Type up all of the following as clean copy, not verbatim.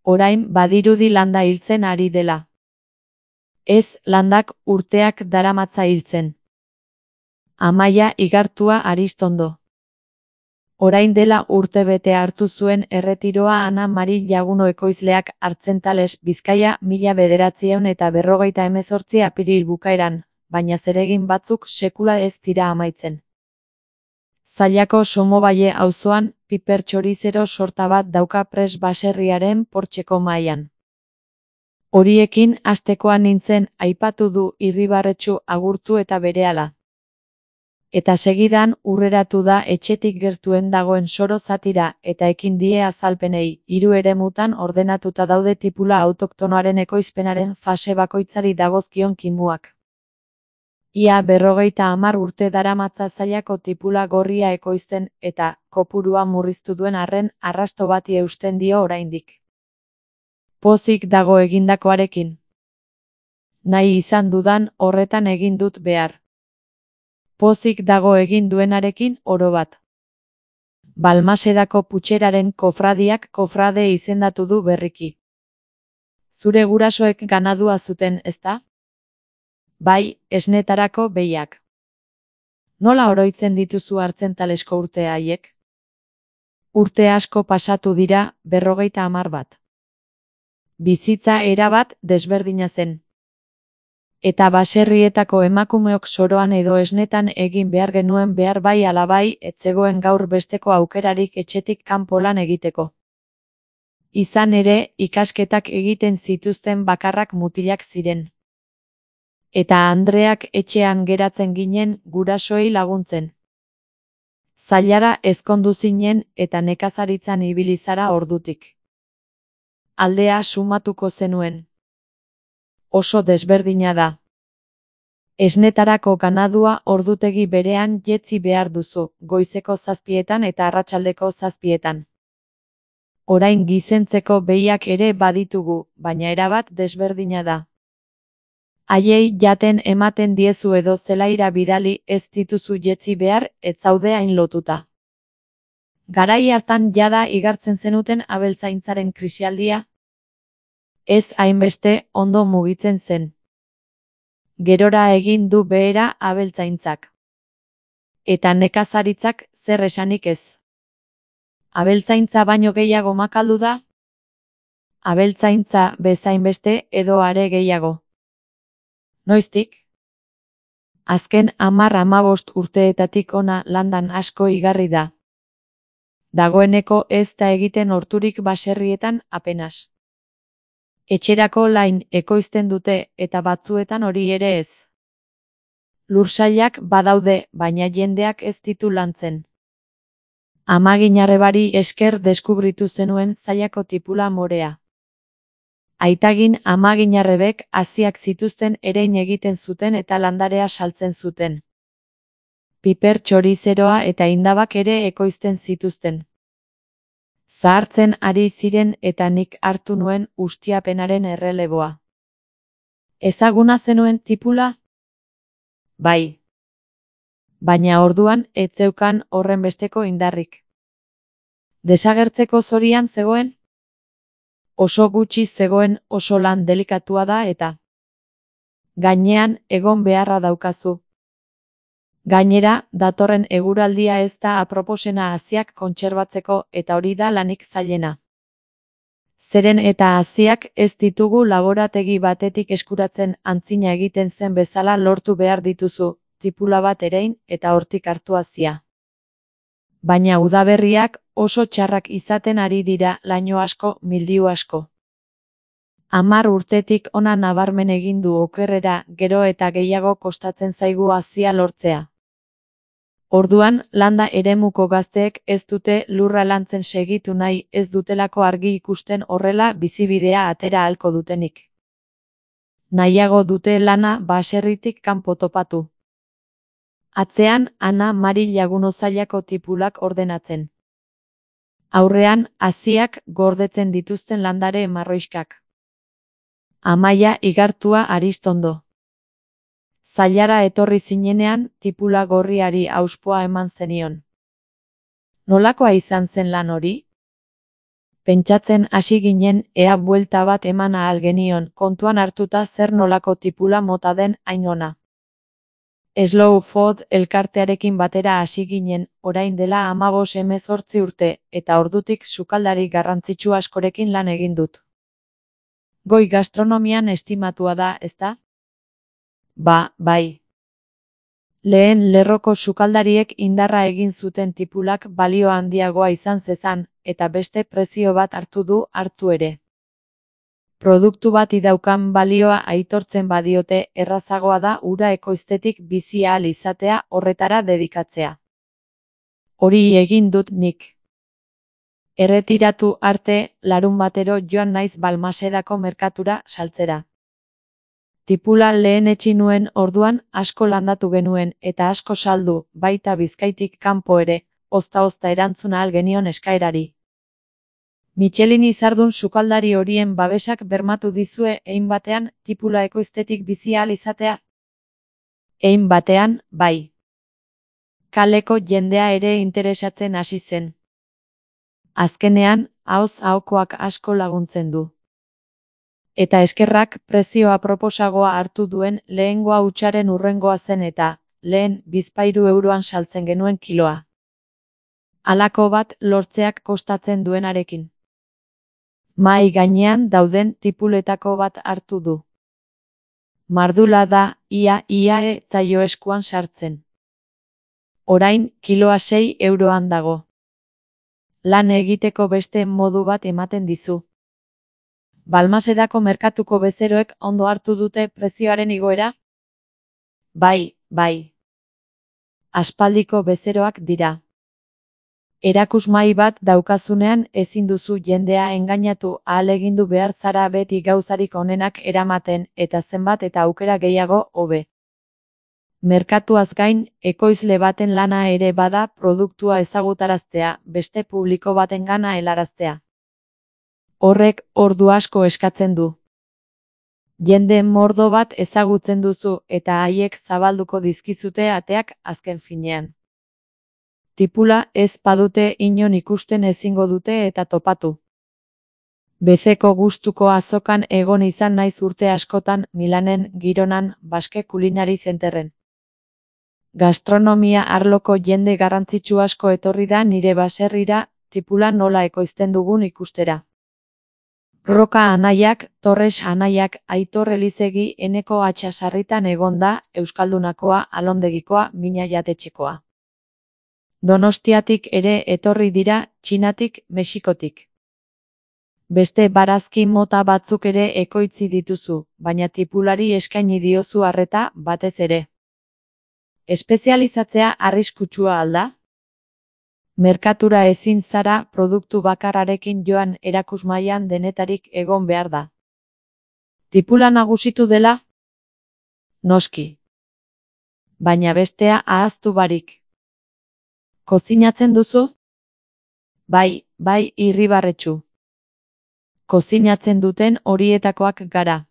Orain badirudi landa hiltzen ari dela. Ez, landak urteak daramatza hiltzen. Amaia Igartua Aristondo. Orain dela urtebete hartu zuen erretiroa Ana Mari Laguno ekoizleak Artzentales, Bizkaia, 1958 apiril bukaeran, baina zeregin batzuk sekula ez dira amaitzen. Zallako Somoballe auzoan, piper txorizero sorta bat dauka pres baserriaren portxeko mahaian. Horiekin hastekoa nintzen, aipatu du Irribarretxu agurtu eta berehala. Eta segidan urreratu da etxetik gertuen dagoen soro zatira eta ekin die azalpenei, 3 eremutan ordenatuta daude tipula autoktonoaren ekoizpenaren fase bakoitzari dagozkion kimuak. Ia 50 urte daramatza Zallako tipula gorria ekoizten eta kopurua murriztu duen arren arrasto bati eusten dio oraindik. Pozik dago egindakoarekin. Nahi izan dudan horretan egin dut behar. Pozik dago egin duenarekin orobat. Balmasedako putxeraren kofradiak kofrade izendatu du berriki. Zure gurasoek ganadua zuten, ezta? Bai, esnetarako behiak. Nola oroitzen dituzu Artzentalesko urte haiek? Urte asko pasatu dira, 50 bat. Bizitza erabat desberdina zen. Eta baserrietako emakumeok soroan edo esnetan egin behar genuen behar bai ala bai, ez zegoen gaur besteko aukerarik etxetik kanpo lan egiteko. Izan ere, ikasketak egiten zituzten bakarrak mutilak ziren. Eta Andreak etxean geratzen ginen gurasoei laguntzen. Zallara ezkondu zinen eta nekazaritzan ibili zara ordutik. Aldea sumatuko zenuen. Oso desberdina da. Esnetarako ganadua ordutegi berean jetzi behar duzu, goizeko 7etan eta arratsaldeko 7etan. Orain gizentzeko behiak ere baditugu, baina erabat desberdina da. Haiei jaten ematen diezu edo zelaira bidali ez dituzu jetzi behar, ez zaude hain lotuta. Garai hartan jada igartzen zenuten abeltzaintzaren krisialdia? Ez hainbeste ondo mugitzen zen. Gerora egin du behera abeltzaintzak. Eta nekazaritzak zer esanik ez. Abeltzaintza baino gehiago makaldu da? Abeltzaintza bezainbeste edo are gehiago. Noiztik? Azken 10-15 urteetatik ona landan asko igarri da. Dagoeneko ez da egiten horturik baserrietan apenas. Etxerako lain ekoizten dute eta batzuetan hori ere ez. Lursailak badaude, baina jendeak ez ditu lantzen. Amaginarrebari esker deskubritu zenuen Zallako tipula morea. Aitagin amaginarrebek haziak zituzten erein egiten zuten eta landarea saltzen zuten. Piper txorizeroa eta indabak ere ekoizten zituzten. Zahartzen ari ziren eta nik hartu nuen ustiapenaren erreleboa. Ezaguna zenuen tipula? Bai. Baina orduan ez zeukan horren besteko indarrik. Desagertzeko zorian zegoen? Oso gutxi zegoen, oso lan delikatua da eta. Gainean egon beharra daukazu. Gainera, datorren eguraldia ez da aproposena haziak kontserbatzeko eta hori da lanik zailena. Zeren eta haziak ez ditugu laborategi batetik eskuratzen antzina egiten zen bezala lortu behar dituzu, tipula bat erein eta hortik hartu hazia. Baina udaberriak oso txarrak izaten ari dira laino asko, mildiu asko. 10 urtetik ona nabarmen egin du okerrera, gero eta gehiago kostatzen zaigu hazia lortzea. Orduan, landa eremuko gazteek ez dute lurra lantzen segitu nahi, ez dutelako argi ikusten horrela bizibidea atera ahalko dutenik. Nahiago dute lana baserritik kanpo topatu. Atzean, Ana Mari Laguno Zallako tipulak ordenatzen. Aurrean, haziak gordetzen dituzten landare marroiskak. Amaia Igartua Aristondo. Zallara etorri zinenean, tipula gorriari auspoa eman zenion. Nolakoa izan zen lan hori? Pentsatzen hasi ginen ea buelta bat eman ahal genion, kontuan hartuta zer nolako tipula mota den hain ona. Slow Food elkartearekin batera hasi ginen, orain dela 15-18 urte, eta ordutik sukaldari garrantzitsu askorekin lan egin dut. Goi gastronomian estimatua da, ezta? Bai. Lehen lerroko sukaldariek indarra egin zuten tipulak balio handiagoa izan zezan, eta beste prezio bat hartu ere. Produktu bat idaukan balioa aitortzen badiote, errazagoa da hura ekoiztetik bizi ahal izatea, horretara dedikatzea. Hori egin dut nik. Erretiratu arte, larunbatero joan naiz Balmasedako merkatura saltzera. Tipula lehenetsi nuen orduan asko landatu genuen eta asko saldu, baita Bizkaitik kanpo ere, ozta-ozta erantzun ahal genion eskaerari. Michelin izardun sukaldari horien babesak bermatu dizue hein batean tipula ekoiztetik bizi ahal izatea? Hein batean, bai. Kaleko jendea ere interesatzen hasi zen. Azkenean, ahoz ahokoak asko laguntzen du. Eta eskerrak prezioa proposagoa hartu duen lehengoa hutsaren hurrengoa zen eta, lehen, bizpahiru euroan saltzen genuen kiloa. Halako bat lortzeak kostatzen duenarekin. Mahai gainean dauden tipuletako bat hartu du. Mardula da, ia ez zaio eskuan sartzen. Orain, kiloa 6 euroan dago. Lan egiteko beste modu bat ematen dizu. Balmasedako merkatuko bezeroek ondo hartu dute prezioaren igoera? Bai. Aspaldiko bezeroak dira. Erakusmahai bat daukazunean ezin duzu jendea engainatu, ahalegindu behar zara beti gauzarik onenak eramaten, eta zenbat eta aukera gehiago hobe. Merkatuaz gain, ekoizle baten lana ere bada produktua ezagutaraztea, beste publiko batengana helaraztea. Horrek ordu asko eskatzen du. Jende mordo bat ezagutzen duzu eta haiek zabalduko dizkizute ateak azken finean. Tipula ez badute inon ikusten ezingo dute eta topatu. Bezeko gustuko azokan egon izan naiz urte askotan Milanen, Gironan, Baske Kulinari Zenterren. Gastronomia arloko jende garrantzitsu asko etorri da nire baserrira, tipula nola ekoizten dugun ikustera. Roka anaiak, Torres anaiak, Aitor Elizegi Eneko Atxasarritan egon da, Euskaldunakoa, Alondegikoa, Mina Jatetxekoa. Donostiatik ere etorri dira, Txinatik, Mexikotik. Beste barazki mota batzuk ere ekoitzi dituzu, baina tipulari eskaini diozu arreta batez ere. Espezializatzea arriskutsua al da? Merkatura ezin zara produktu bakarrarekin joan erakusmahaian denetarik egon behar da. Tipula nagusitu dela? Noski. Baina bestea ahaztu barik. Kozinatzen duzu? Bai, irribarretsu. Kozinatzen duten horietakoak gara.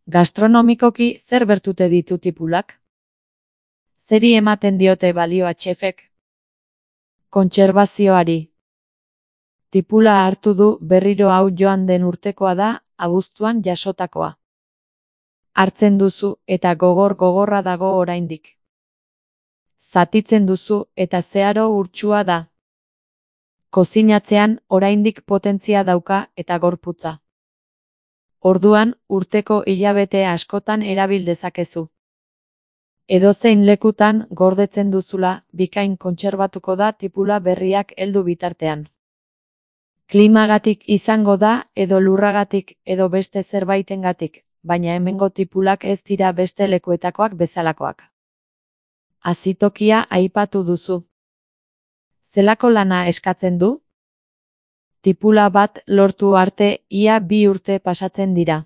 Gastronomikoki zer bertute ditu tipulak? Zeri ematen diote balioa txefek? Kontserbazioari. Tipula hartu du berriro hau joan den urtekoa da, abuztuan jasotakoa. Hartzen duzu eta gogorra dago oraindik. Zatitzen duzu eta zeharo urtsua da. Kozinatzean oraindik potentzia dauka eta gorputza. Orduan, urteko hilabete askotan erabil dezakezu. Edozein lekutan gordetzen duzula, bikain kontserbatuko da tipula berriak heldu bitartean. Klimagatik izango da, edo lurragatik, edo beste zerbaitengatik, baina hemengo tipulak ez dira beste lekuetakoak bezalakoak. Azitokia aipatu duzu. Zelako lana eskatzen du? Tipula bat lortu arte ia 2 urte pasatzen dira.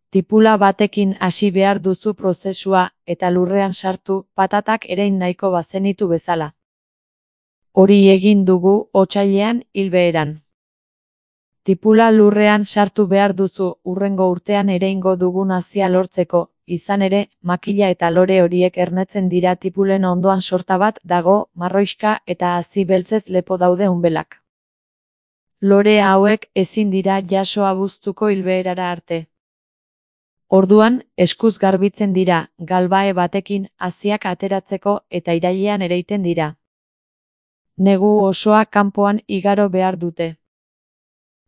Tipula batekin hasi behar duzu prozesua eta lurrean sartu patatak erein nahiko bazenitu bezala. Hori egin dugu otsailean hilbeheran. Tipula lurrean sartu behar duzu hurrengo urtean ereingo dugun hazia lortzeko, izan ere, makila eta lore horiek ernetzen dira tipulen ondoan sorta bat dago, marroixka eta hazi beltzez lepo daude unbelak. Lore hauek ezin dira jaso abuztuko hilbeherara arte. Orduan, eskuz garbitzen dira, galbae batekin haziak ateratzeko eta irailean ereiten dira. Negu osoa kanpoan igaro behar dute.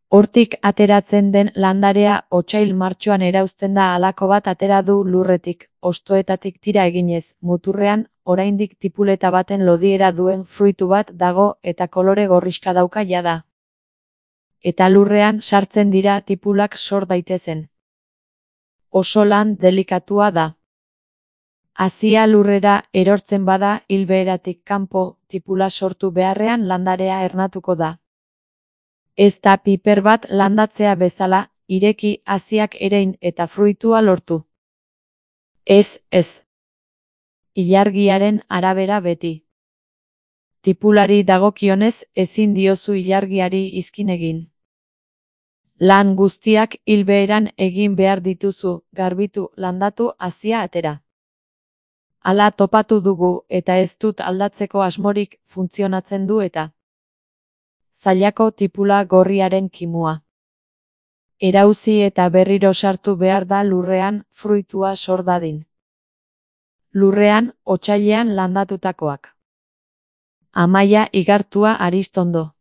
Hortik ateratzen den landarea otsail martxoan erauzten da halako bat atera du lurretik, hostoetatik tira eginez, muturrean, oraindik tipuleta baten lodiera duen fruitu bat dago eta kolore gorrixka dauka jada. Eta lurrean sartzen dira tipulak sor daitezen. Oso lan delikatua da. Hazia lurrera erortzen bada hilbeheratik kanpo, tipula sortu beharrean landarea ernatuko da. Ez da piper bat landatzea bezala, ireki haziak erein eta fruitua lortu. Ez. Ilargiaren arabera beti. Tipulari dagokionez ezin diozu ilargiari izkin egin. Lan guztiak hilbeheran egin behar dituzu, garbitu, landatu, hazia atera. Hala topatu dugu eta ez dut aldatzeko asmorik, funtzionatzen du eta. Zailako tipula gorriaren kimua. Erauzi eta berriro sartu behar da lurrean, fruitua sor dadin. Lurrean, otsailean landatutakoak. Amaia igartua Aristondo.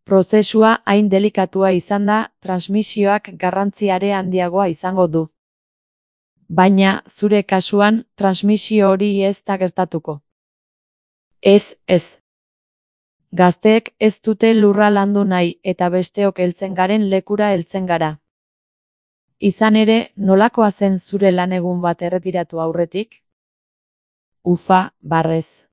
Prozesua hain delikatua izan da, transmisioak garrantziare handiagoa izango du. Baina, zure kasuan, transmisio hori ez da gertatuko. Ez. Gazteek ez dute lurra landu nahi eta besteok heltzen garen lekura heltzen gara. Izan ere, nolakoa zen zure lanegun bat erretiratu aurretik? Ufa, barrez.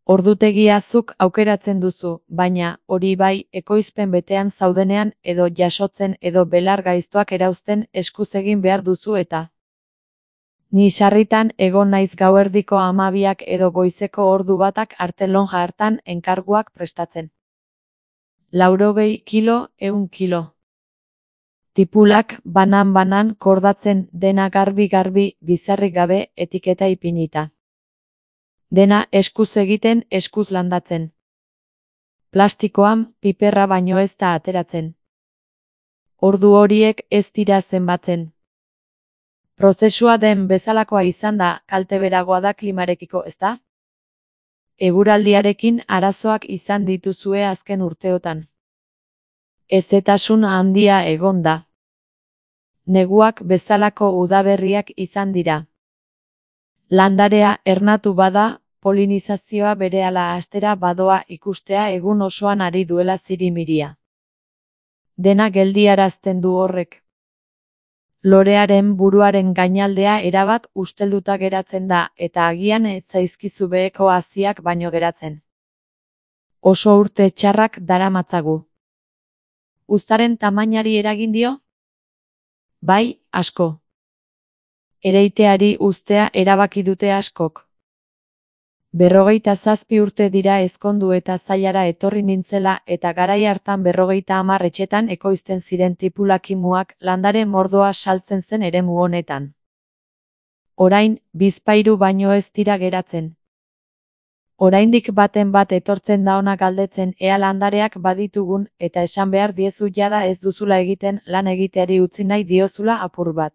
Ordutegia zuk aukeratzen duzu, baina, hori bai, ekoizpen betean zaudenean edo jasotzen edo belar gaiztoak erauzten eskuz egin behar duzu eta. Ni sarritan egon naiz gauerdiko 12 edo goizeko ordu batak arte lonja hartan enkarguak prestatzen. 80 kilo, 100 kilo. Tipulak banan kordatzen dena garbi, bizarrik gabe etiketa ipinita. Dena eskuz egiten, eskuz landatzen. Plastikoan piperra baino ez da ateratzen. Ordu horiek ez dira zenbatzen. Prozesua den bezalakoa izan da, kalte beragoa da klimarekiko, ezta? Eguraldiarekin arazoak izan dituzue azken urteotan. Hezetasun handia egon da. Neguak bezalako udaberriak izan dira. Landarea ernatu bada, polinizazioa berehala hastera badoa ikustea egun osoan ari duela zirimiria. Dena geldiarazten du horrek. Lorearen buruaren gainaldea erabat ustelduta geratzen da eta agian ez zaizkizu beheko haziak baino geratzen. Oso urte txarrak daramatzagu. Uztaren tamainari eragin dio? Bai, asko. Ereiteari uztea erabaki dute askok. 57 urte dira ezkondu eta zailara etorri nintzela eta garai hartan 50 etxetan ekoizten ziren tipulakimuak landare mordoa saltzen zen eremu honetan. Orain, bizpahiru baino ez dira geratzen. Oraindik baten bat etortzen da hona galdetzen ea landareak baditugun eta esan behar diezu jada ez duzula egiten lan egiteari utzi nahi diozula apur bat.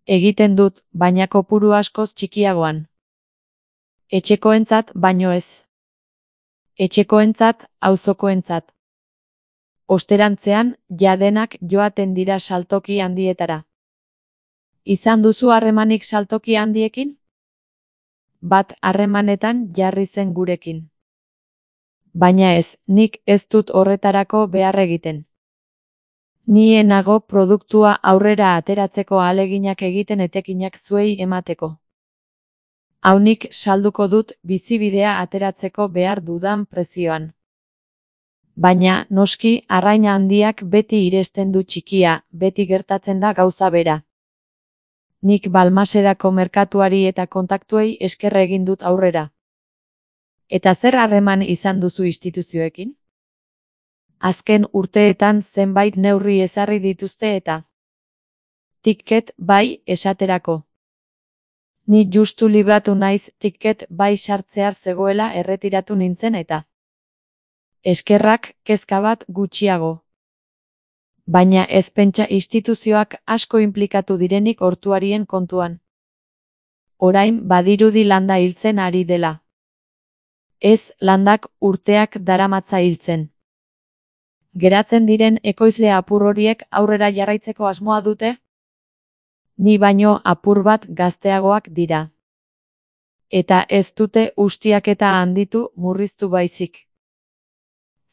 Egiten dut, baina kopuru askoz txikiagoan. Etxekoentzat baino ez. Etxekoentzat, auzokoentzat. Osterantzean, jadenak joaten dira saltoki handietara. Izan duzu harremanik saltoki handiekin? Bat harremanetan jarri zen gurekin. Baina ez, nik ez dut horretarako behar egiten. Ni nago produktua aurrera ateratzeko ahaleginak egiten etekinak zuei emateko. Haunik salduko dut bizibidea ateratzeko behar dudan prezioan. Baina, noski, arrain handiak beti iresten du txikia, beti gertatzen da gauza bera. Nik Balmasedako merkatuari eta kontaktuei esker egin dut aurrera. Eta zer harreman izan duzu instituzioekin? Azken urteetan zenbait neurri ezarri dituzte eta. Ticket bai esaterako. Ni justu libratu naiz ticket bai sartzear zegoela erretiratu nintzen eta. Eskerrak kezka bat gutxiago. Baina ez pentsa instituzioak asko inplikatu direnik ortuarien kontuan. Orain badirudi landa hiltzen ari dela. Ez, landak urteak daramatza hiltzen. Geratzen diren ekoizle apur horiek aurrera jarraitzeko asmoa dute? Ni baino apur bat gazteagoak dira. Eta ez dute ustiaketa handitu murriztu baizik.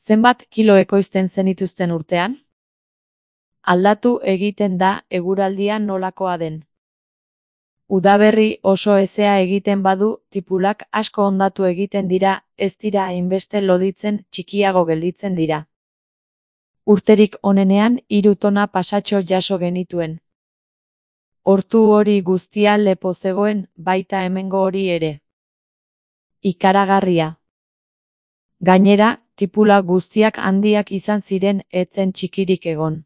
Zenbat kilo ekoizten zenituzten urtean? Aldatu egiten da eguraldia nolakoa den. Udaberri oso hezea egiten badu, tipulak asko hondatu egiten dira, ez dira hainbeste loditzen, txikiago gelditzen dira. Urterik onenean 3 tona pasatxo jaso genituen. Hortu hori guztia lepo zegoen, baita hemengo hori ere. Ikaragarria. Gainera, tipula guztiak handiak izan ziren, etzen txikirik egon.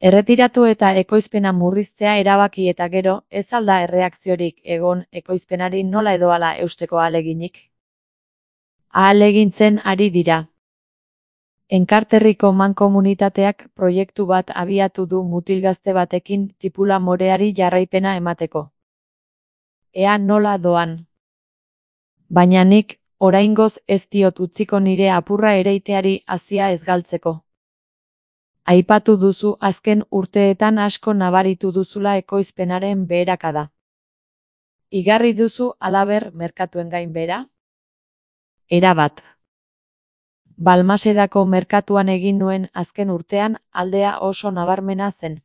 Erretiratu eta ekoizpena murriztea erabaki eta gero, ez alda erreakziorik egon ekoizpenari nola edo hala eusteko ahaleginik. Ahalegintzen ari dira. Enkarterriko mankomunitateak proiektu bat abiatu du mutil-gazte batekin tipula moreari jarraipena emateko. Ea nola doan. Baina nik, oraingoz ez diot utziko nire apurra ereiteari hazia ez galtzeko. Aipatu duzu azken urteetan asko nabaritu duzula ekoizpenaren beherakada. Igarri duzu halaber merkatuen gain bera? Erabat. Balmasedako merkatuan egin nuen azken urtean aldea oso nabarmena zen.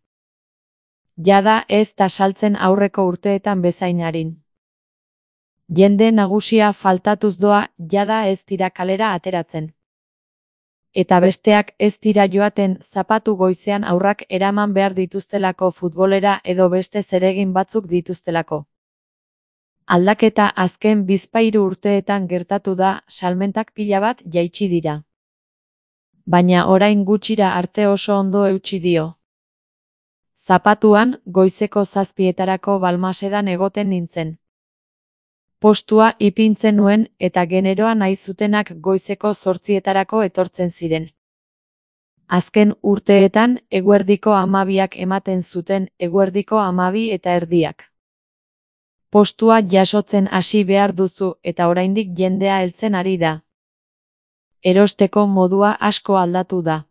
Jada ez da saltzen aurreko urteetan bezain arin. Jende nagusia faltatuz doa, jada ez dira kalera ateratzen. Eta besteak ez dira joaten zapatu goizean aurrak eraman behar dituztelako futbolera edo beste zeregin batzuk dituztelako. Aldaketa azken 2-3 urteetan gertatu da, salmentak pila bat jaitsi dira. Baina orain gutxira arte oso ondo eutsi dio. Zapatuan, goizeko 7etarako Balmasedan egoten nintzen. Postua ipintzen nuen eta generoa nahi zutenak goizeko 8etarako etortzen ziren. Azken urteetan eguerdiko 12ak ematen zuten, eguerdiko 12:30. Postua jasotzen hasi behar duzu eta oraindik jendea heltzen ari da. Erosteko modua asko aldatu da.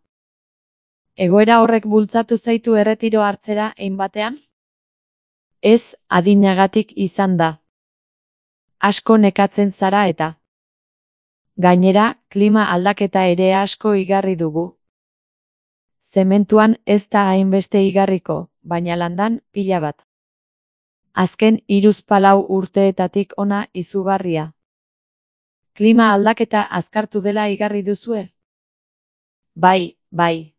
Egoera horrek bultzatu zaitu erretiro hartzera hein batean? Ez, adinagatik izan da. Asko nekatzen zara eta. Gainera, klima aldaketa ere asko igarri dugu. Zementuan ez da hainbeste igarriko, baina landan pila bat. Azken 3-4 urteetatik ona izugarria. Klima aldaketa azkartu dela igarri duzue? Bai, bai.